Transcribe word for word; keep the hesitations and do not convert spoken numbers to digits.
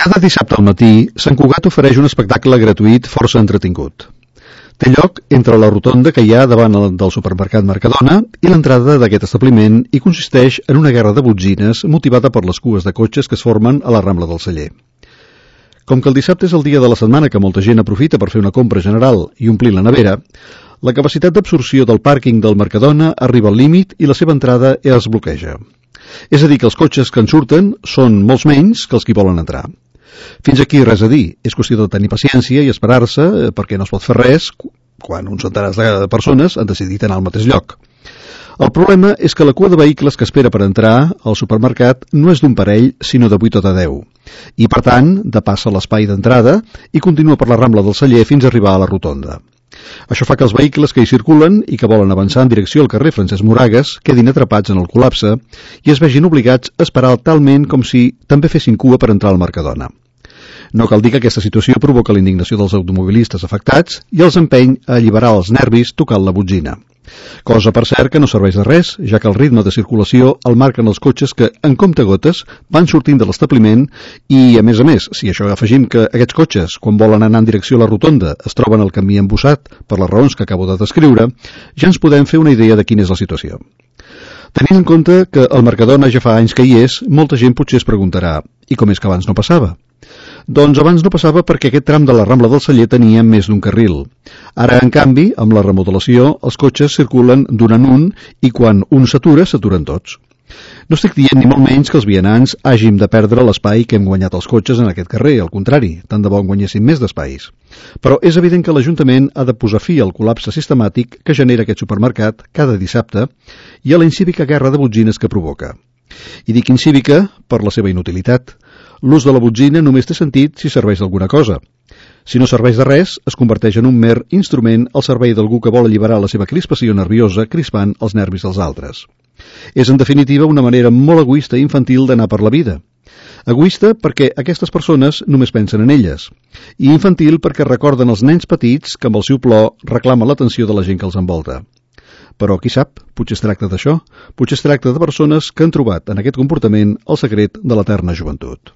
Cada dissabte al matí, Sant Cugat ofereix un espectacle gratuït força entretingut. Té lloc entre la rotonda que hi ha davant del supermercat Mercadona i l'entrada d'aquest establiment i consisteix en una guerra de botzines motivada per les cues de cotxes que es formen a la Rambla del Celler. Com que el dissabte és el dia de la setmana que molta gent aprofita per fer una compra general i omplir la nevera, la capacitat d'absorció del pàrquing del Mercadona arriba al límit i la seva entrada es bloqueja. És a dir, que els cotxes que en surten són molts menys que els que hi volen entrar. Fins aquí res a dir, és qüestió de tenir paciència i esperar-se perquè no es pot fer res quan uns centenars de persones han decidit anar al mateix lloc. El problema és que la cua de vehicles que espera per entrar al supermercat no és d'un parell, sinó de vuit o de deu, i per tant depassa l'espai d'entrada i continua per la Rambla del Celler fins a arribar a la rotonda. Això fa que els vehicles que hi circulen i que volen avançar en direcció al carrer Francesc Moragas quedin atrapats en el col·lapse i es vegin obligats a esperar talment com si també fessin cua per entrar al Mercadona. No cal dir que aquesta situació provoca la indignació dels automobilistes afectats i els empeny a alliberar els nervis tocant la botzina. Cosa, per cert, que no serveix de res, ja que el ritme de circulació el marquen els cotxes que, en comptagotes, van sortint de l'establiment i, a més a més, si això afegim que aquests cotxes, quan volen anar en direcció a la rotonda, es troben al camí embussat per les raons que acabo de descriure, ja ens podem fer una idea de quina és la situació. Tenint en compte que el Mercadona ja fa anys que hi és, molta gent potser es preguntarà «I com és que abans no passava?» Doncs abans no passava perquè aquest tram de la Rambla del Celler tenia més d'un carril. Ara, en canvi, amb la remodelació, els cotxes circulen d'un en un i quan un s'atura, s'aturen tots. No estic dient ni molt menys que els vianants hàgim de perdre l'espai que hem guanyat els cotxes en aquest carrer, al contrari, tant de bo en guanyéssim més d'espais. Però és evident que l'Ajuntament ha de posar fi al col·lapse sistemàtic que genera aquest supermercat cada dissabte i a la incívica guerra de botzines que provoca. I dic incívica per la seva inutilitat. L'ús de la botzina només té sentit si serveix d'alguna cosa. Si no serveix de res, es converteix en un mer instrument al servei d'algú que vol alliberar la seva crispació nerviosa crispant els nervis dels altres. És, en definitiva, una manera molt egoista i infantil d'anar per la vida. Egoista perquè aquestes persones només pensen en elles, i infantil perquè recorden els nens petits que amb el seu plor reclamen l'atenció de la gent que els envolta. Però, qui sap, potser es tracta d'això, potser es tracta de persones que han trobat en aquest comportament el secret de l'eterna joventut.